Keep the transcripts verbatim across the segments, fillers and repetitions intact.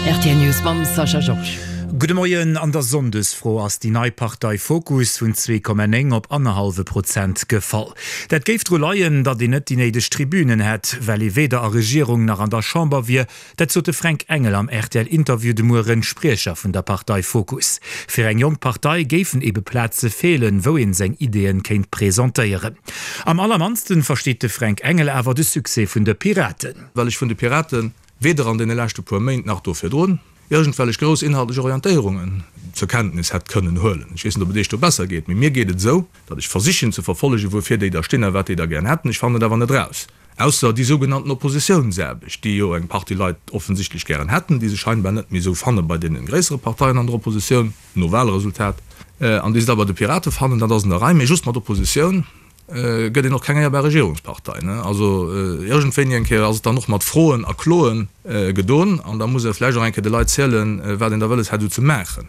R T L News mam Sascha Georges. Gudde Moien, An der Sonndesfro ass déi nei Partei Fokus vun zwee Komma néng op annerhallwe Prozent gefall. Dat géif dru leien, datt een net déi néideg Tribünen hätt, well ee weder a Regierung nach an der Chamber wier. Dat sot de Fränk Engel am R T L-Interview de Mueren, Spriecher vun der Partei Fokus. Fir eng jonk Partei géifen ebe Plaze feelen, wou een seng Ideeën kéint presentéieren. Am allermannsten versteet de Fränk Engel awer de Succès vun de Piraten. Well ech vun de Piraten weder an deene leschte puer Méint nach do virdrun iergendwellech grouss inhaltlech Orientéierungen zur Kenntnis hätt kënnen huelen. Ech weess net, ob et Iech do besser geet, mee mir geet et esou, datt ech versichen ze verfollegen, wuerfir déi da stinn a wat déi da gären hätten. Ech fannen et awer net eraus. Ausser déi sougenannten Oppositiounsaarbecht, déi jo eng Partie Leit offensichtlech gären hätten, déi se scheinbar net méi esou fanne bei deene gréissere Parteien an der Oppositioun, no Wahlresultat, an déi se da bei de Pirate fannen, dat ass an der Rei. Mee just mat Oppositioun gëtt een och keng éierbar Regierungspartei. Also iergendwéini eng Kéier ass et dann och mat Froen a Kloen gedon an da muss ee vläicht och eng Kéier de Leit zielen, wat een da wëlles hätt esou ze maachen.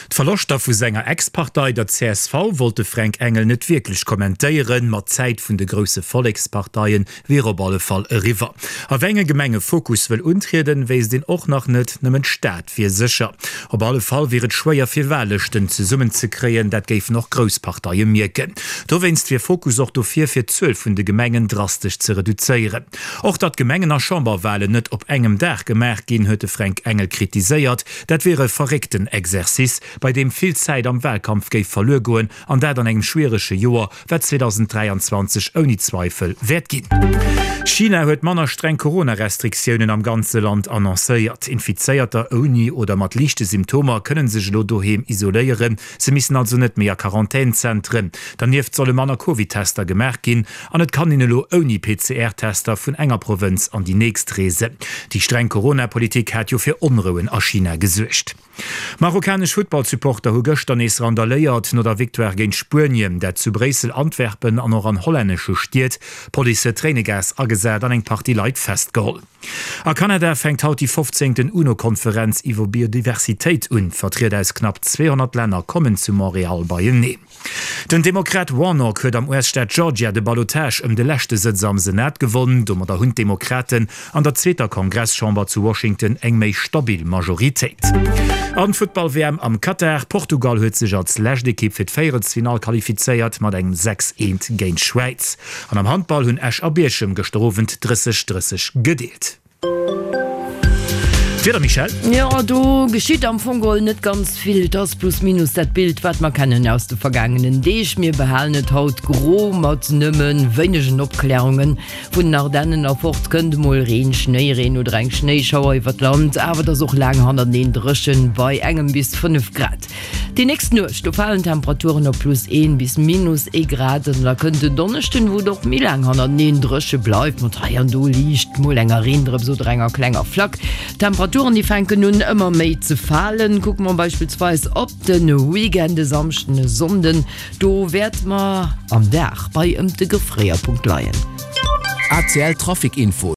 D'Verloschter vu senger Ex-Partei, der C S V, wollt de Fränk Engel net wierklech kommentéieren, ma d'Zäit vun de grousse Volleksparteie wier op alle Fall eriwwer. A wéi enge Gemenge Fokus wëll untrieden, wéisst een och nach net, nëmmen d'Stad wier sécher. Op alle Fall wier et schwéier fir Wahllëschten zesummen ze kréien, dat géifen och grouss Parteie mierken. Dowéinst wier Fokus och dofir, fir d'Zuel vun de Gemengen drastesch ze reduzéieren. Och datt Gemengen a Chamberwahlen net op engem Dag gemaach ginn, huet de Fränk Engel kritiséiert. Dat wier e verréckten Exercice, bei deem vill Zäit am Wahlkampf géif verluer goen, an dat an engem schwierege Joer, wat zweedausend dräianzwanzeg ouni Zweifel wäert ginn. China huet manner streng Corona-Restriktiounen am ganze Land annoncéiert. Infizéierter ouni oder mat liichte Symptomer kënne sech elo doheem isoléieren. Se missen also net méi a Quarantänzentren. Dernieft solle manner Covid-Tester gemaach ginn an et kann een elo ouni P C R-Tester vun enger Provënz an déi nächst reesen. Déi streng Corona-Politik hat jo fir Onrouen a China gesuergt. Marokkanesch Futtballsupporter hu gëschter nees randaléiert no der Victoire géint Spuenien, dat zu Bréissel, Antwerpen an och an hollännesche Stied. D'Police huet Tréinegas agesat an eng Partie Leit festgeholl. A Kanada fänkt haut déi fofzéngten UNO-Konferenz iwwer Biodiversitéit un. Vertrieder aus knapp zweehonnert Länner kommen zu Montreal beieneen. Den Demokrat Warnock huet am U S-Staat Georgia de Ballotage ëm de leschte Sëtz am Senat gewonn. Domadder hunn d'Demokraten an der zweeter Kongresschamber zu Washington eng méi stabil Majoritéit. An d'Futtball-W M am Katar, Portugal huet sech als lescht Ekipp fir d'Véierelsfinall qualifizéiert mat engem sechs eent géint d'Schwäiz. An am Handball hunn Esch a Bierchem gëschter Owend drësseg drësseg gedeelt. D'Wieder, Michèle? Jo, do geschitt am Fong geholl net ganz vill. Et ass plus minus dat Bild, wat mer kennen aus de vergaangenen Deeg. Mir behalen et haut gro mat nëmme wéinegen Opklärungen. Vun den Ardennen erfort kënnt emol Reen, Schnéireen oder eng Schnéischauer iwwer d'Land, awer et ass och laang hannerteneen dréchen bei engem bis fënnef Grad. Déi nächst Nuecht, do falen d'Temperaturen op plus een bis minus ee Grad an da kënnt den Donneschden, wou et och méi laang hannerteneen dréche bleift, mat hei an do liicht mol enger Reendrëps oder enger klenger Flack. D'Temperaturen, déi fänken un ëmmer méi ze falen. Kucke mer beispillsweis op de Weekend, e Samschden, e Sonnden, do wäerte mer am Dag bei ëm de Gefréierpunkt leien. A C L Trafic Info.